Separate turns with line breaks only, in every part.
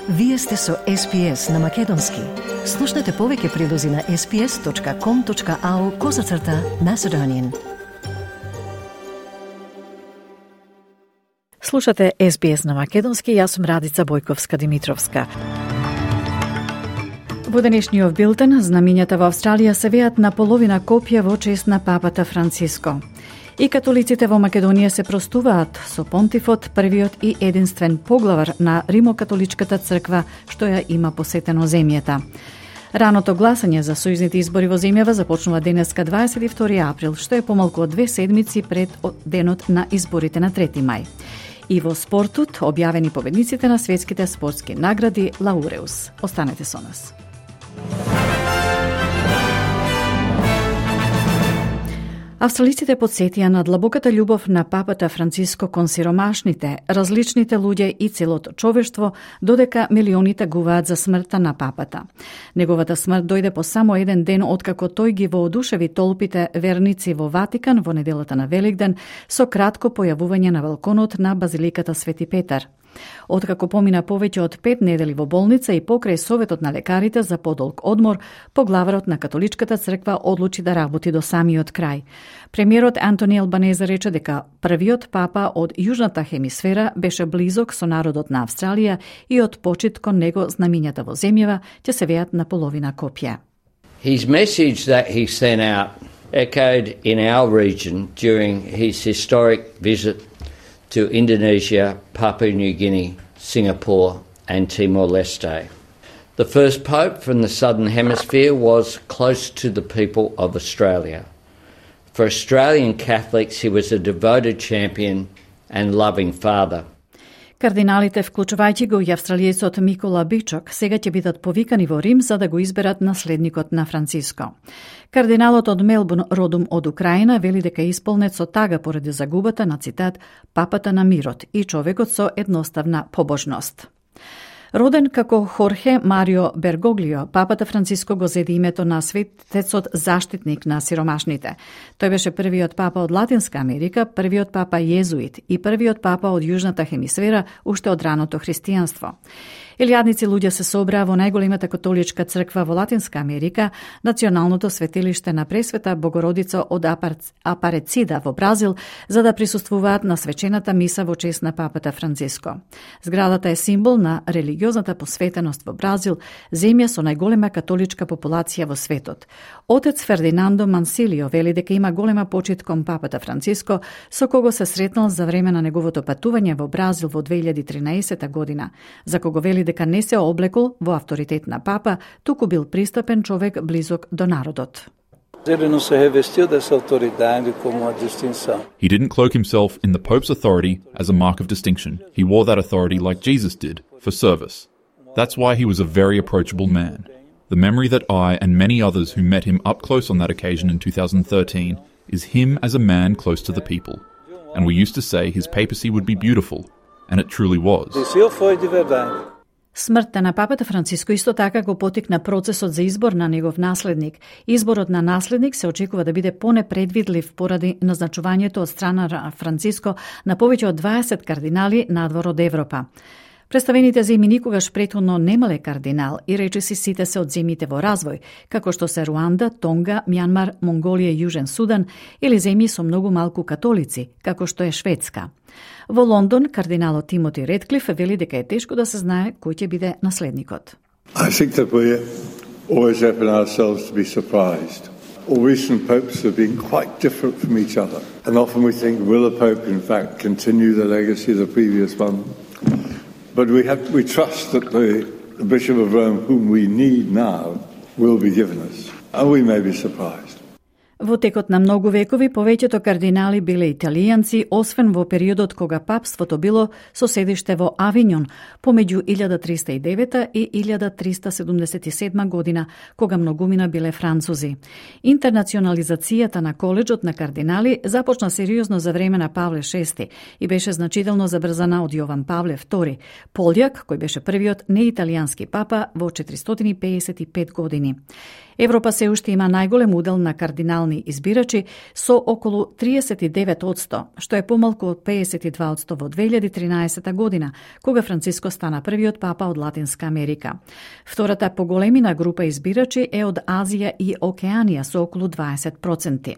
Вие сте со SPS на Македонски. Слушнете повеќе прилози на sps.com.au/Macedonian.
Слушате SBS на Македонски, јас сум Радица Бојковска-Димитровска. Во денешниот билтен, знамињата во Австралија се веат на половина копија во чест на папата Франциско. И католиците во Македонија се простуваат со понтифот, првиот и единствен поглавар на Римокатоличката црква, што ја има посетено земјата. Раното гласање за сојузните избори во земјава започнува денеска 22 април, што е помалку од 2 седмици пред денот на изборите на 3 мај. И во спортот, објавени победниците на светските спортски награди Лауреус. Останете со нас. Австралиците подсетија на длабоката љубов на папата Франциско кон сиромашните, различните луѓе и целото човештво, додека милионите гуваат за смртта на папата. Неговата смрт дојде по само еден ден откако тој ги воодушеви толпите верници во Ватикан во неделата на Великден со кратко појавување на балконот на Базиликата Свети Петар. Откако помина повеќе од 5 недели во болница и покрај советот на лекарите за подолг одмор, поглаварот на Католичката црква одлучи да работи до самиот крај. Премиерот Антони Албанезе рече дека првиот папа од јужната хемисфера беше близок со народот на Австралија и од почит кон него знамињата во земјава ќе се веат на половина копија.
His message that he sent out echoed in our region during his historic visit to Indonesia, Papua New Guinea, Singapore and Timor-Leste. The first Pope from the Southern Hemisphere was close to the people of Australia. For Australian Catholics, he was a devoted champion and loving father.
Кардиналите, вклучувајќи го и австралиецот Микола Бичок, сега ќе бидат повикани во Рим за да го изберат наследникот на Франциско. Кардиналот од Мелбурн, родом од Украина, вели дека е исполнет со тага поради загубата на, цитат, папата на мирот и човекот со едноставна побожност. Роден како Хорхе Марио Бергоглио, папата Франциско го зеде името на светецот заштитник на сиромашните. Тој беше првиот папа од Латинска Америка, првиот папа језуит и првиот папа од Јужната хемисфера уште од раното христијанство. Илјадници луѓе се собраа во најголемата католичка црква во Латинска Америка, националното светилиште на Пресвета Богородица од Апарецида во Бразил, за да присуствуваат на свечената миса во чест на папата Франциско. Зградата е символ на религиозната посветеност во Бразил, земја со најголема католичка популација во светот. Отец Фердинандо Мансилио вели дека има голема почит кон папата Франциско, со кого се сретнал за време на неговото патување во Бразил во 2013 година, за кого вели дека не се облекол во авторитет на папа, туку бил пристапен човек близок до народот.
He
didn't cloak himself in the Pope's authority as a mark of distinction. He wore that authority like Jesus did, for service. That's why he was a very approachable man. The memory that I and many others who met him up close on that occasion in 2013 is him as a man close to the people. And we used to say his papacy would be beautiful, and it truly was.
Смртта на папата Франциско исто така го потикна процесот за избор на негов наследник. Изборот на наследник се очекува да биде понепредвидлив поради назначувањето од страна на Франциско на повеќе од 20 кардинали надвор од Европа. Представените земји никогаш претходно немале кардинал и речиси сите се од земјите во развој, како што се Руанда, Тонга, Мјанмар, Монголија и Јужен Судан, или земји со многу малку католици, како што е Шведска. Во Лондон, кардиналот Тимоти Редклиф вели дека е тешко да се знае кој ќе биде наследникот.
I think that we always open ourselves to be surprised. All recent popes have been quite different from each other. And often we think, will a pope in fact continue the legacy of the previous one? But we trust that the Bishop of Rome, whom we need now, will be given us. And we may be surprised.
Во текот на многу векови, повеќето кардинали биле италијанци, освен во периодот кога папството било со седиште во Авињон, помеѓу 1309 и 1377 година, кога многумина биле французи. Интернационализацијата на коледжот на кардинали започна сериозно за време на Павле VI и беше значително забрзана од Јован Павле II, Полјак, кој беше првиот неиталијански папа во 455 години. Европа се уште има најголем удел на кардинал национални избирачи со околу 39%, што е помалку од 52% во 2013 година, кога Франциско стана првиот папа од Латинска Америка. Втората поголемина група избирачи е од Азија и Океанија со околу 20%.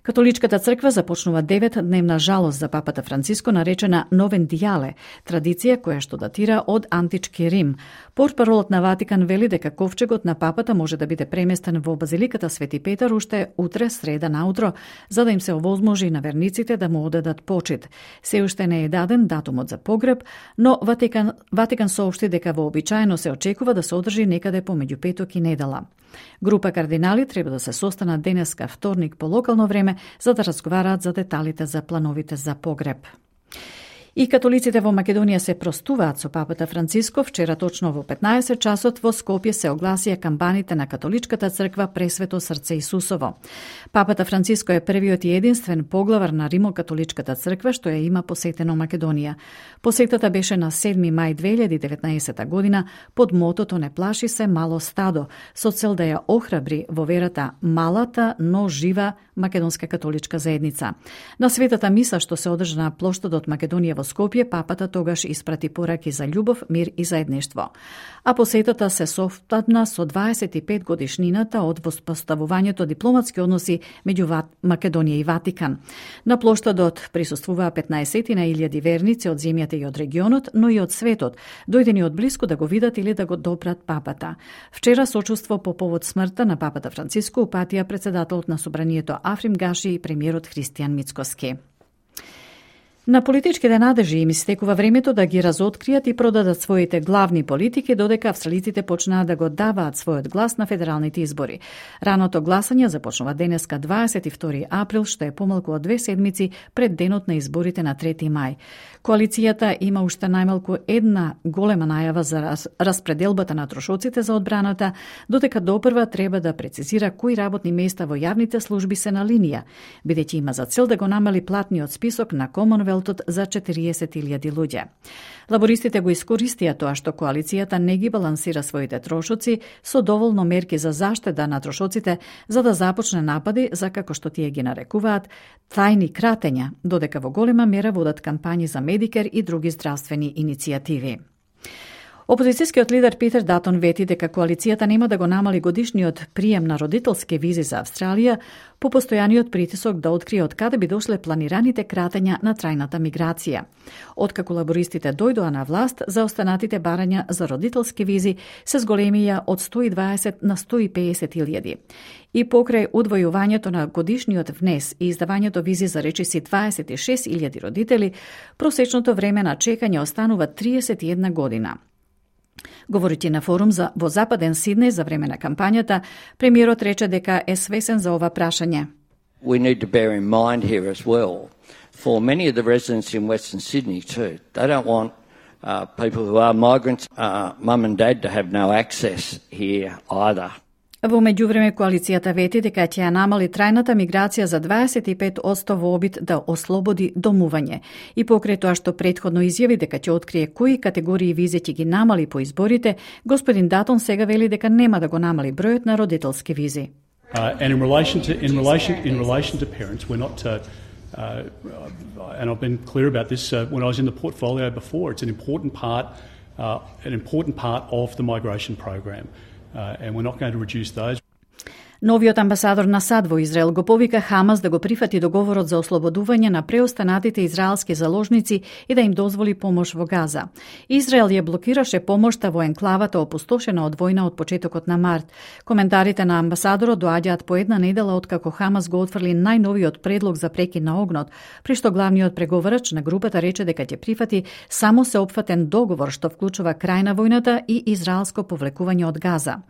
Католичката црква започнува 9-дневна жалост за папата Франциско, наречена Новен Диале, традиција која што датира од антички Рим. Портпаролот на Ватикан вели дека ковчегот на папата може да биде преместен во базиликата Свети Петар уште утре, среда наутро, за да им се овозможи на верниците да му одадат почит. Се уште не е даден датумот за погреб, но Ватикан соопшти дека вообичаено се очекува да се одржи некаде помеѓу петок и недела. Група кардинали треба да се состанат денеска вторник по локално време за да разговараат за деталите за плановите за погреб. И католиците во Македонија се простуваат со папата Франциско. Вчера точно во 15 часот во Скопје се огласија камбаните на католичката црква Пресвето срце Исусово. Папата Франциско е првиот и единствен поглавар на Римо-католичката црква што ја има посетено Македонија. Посетата беше на 7 мај 2019 година под мотото "Не плаши се мало стадо", со цел да ја охрабри во верата малата, но жива македонска католичка заедница. На светата миса што се одржа на плоштадот Македонија во Скопје, папата тогаш испрати пораки за љубов, мир и заедништво. А посетата се совпадна со 25 годишнината од воспоставувањето дипломатски односи меѓу Македонија и Ватикан. На плоштадот присуствуваа 15.000 верници од земјата и од регионот, но и од светот, дојдени од блиску да го видат или да го допрат папата. Вчера сочувство по повод смртта на папата Франциско упатија председателот на собранието Африм Гаши и премиерот Христијан Мицкоски. На политичките надежи им истекува времето да ги разоткријат и продадат своите главни политики, додека австралиците почнаа да го даваат својот глас на федералните избори. Раното гласање започнува денеска 22 април, што е помалку од 2 седмици пред денот на изборите на 3 мај. Коалицијата има уште најмалку една голема најава за распределбата на трошоците за одбраната, додека допрва треба да прецизира кои работни места во јавните служби се на линија, бидејќи има за цел да го намали платниот список на Комонвелтот за 40.000 луѓе. Лабористите го искористија тоа што коалицијата не ги балансира своите трошоци со доволно мерки за заштеда на трошоците за да започне напади за, како што тие ги нарекуваат, тајни кратења, додека во голема мера водат кампањи за Медикер и други здравствени иницијативи. Опозицијскиот лидер Питер Датон вети дека коалицијата нема да го намали годишниот прием на родителски визи за Австралија по постојаниот притисок да открие од каде би дошле планираните кратења на трајната миграција. Откако лабористите дојдоа на власт, за останатите барања за родителски визи се зголемија од 120 на 150.000. И покрај удвојувањето на годишниот внес и издавањето визи за речиси 26.000 родители, просечното време на чекање останува 31 година. Говорејќи на форум во Западен Сиднеј за време на кампањата, премиерот рече дека е свесен за ова прашање.
We need to bear in mind here as well, for many of the residents in Western Sydney too, they don't want people who are migrants, mum and dad to have no access here either.
Во меѓувреме, коалицијата вети дека ќе ја намали трајната миграција за 25% во обид да ослободи домување. И покрај тоа што претходно изјави дека ќе открие кои категории визи ќе ги намали по изборите, господин Датон сега вели дека нема да го намали бројот на родителски визи.
And in relation to parents, we're not and I've been clear about this when I was in the portfolio before. It's an important part of the migration program. And we're not going to reduce those.
Новиот амбасадор на САД во Израел го повика Хамас да го прифати договорот за ослободување на преостанатите израелски заложници и да им дозволи помош во Газа. Израел ја блокираше помошта во енклавата опустошена од војна од почетокот на март. Коментарите на амбасадорот доаѓаат по една недела откако Хамас го отфрли најновиот предлог за прекин на огнот, при што главниот преговарач на групата рече дека ќе прифати само сеопфатен договор што вклучува крај на војната и израелско повлекување од Газа.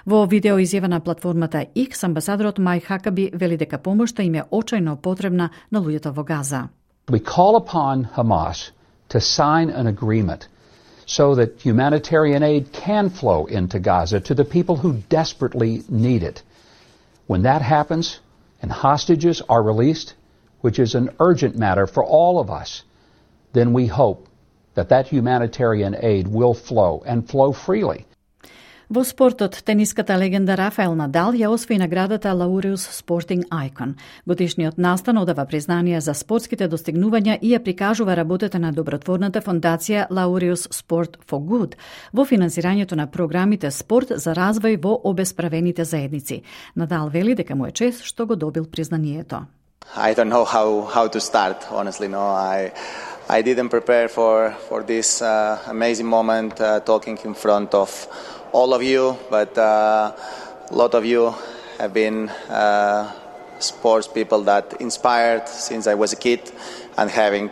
Во видео изјава на платформата X, амбасадорот Мај Хакаби вели дека помошта им е очајно потребна на луѓето во Газа.
We call upon Hamas to sign an agreement so that humanitarian aid can flow into Gaza to the people who desperately need it. When that happens and hostages are released, which is an urgent matter for all of us, then we hope that humanitarian aid will flow and flow freely.
Во спортот, тениската легенда Рафаел Надал ја освои наградата Laureus Sporting Icon. Годишниот настан одава признание за спортските достигнувања и ја прикажува работата на добротворната фондација Laureus Sport for Good во финансирањето на програмите спорт за развој во обесправените заедници. Надал вели дека му е чест што го добил признанието.
I don't know how to start, honestly. No, I didn't prepare for this amazing moment talking in front of all of you, but a lot of you have been sports people that inspired since I was a kid, and having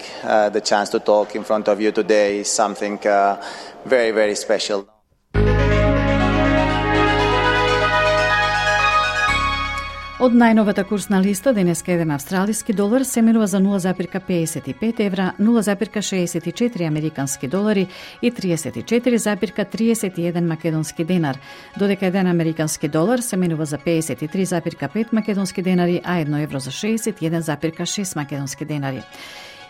the chance to talk in front of you today is something very, very special.
Од најновата курсна листа, денеска еден австралиски долар се менува за 0,55 евра, 0,64 американски долари и 34,31 македонски денар, додека еден американски долар се менува за 53,5 македонски денари, а 1 евро за 61,6 македонски денари.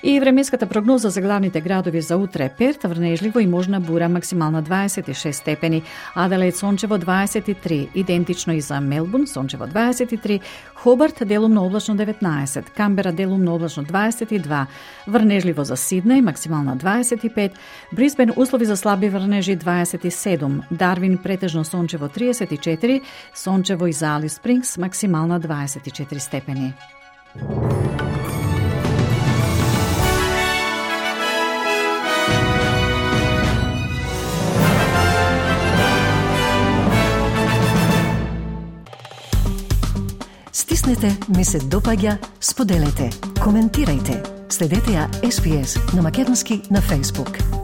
И временската прогноза за главните градови за утре: Перт врнежливо и можна бура, максимална 26 степени, Аделаид сончево 23, идентично и за Мелбурн, сончево 23, Хобарт делумно облачно 19, Камбера делумно облачно 22, врнежливо за Сиднеј, максимална 25, Брисбен услови за слаби врнежи 27, Дарвин претежно сончево 34, сончево и за Алис Спрингс, максимална 24 степени.
Стиснете, ми се допаѓа, споделете, коментирајте. Следете ја SPS на Македонски на Facebook.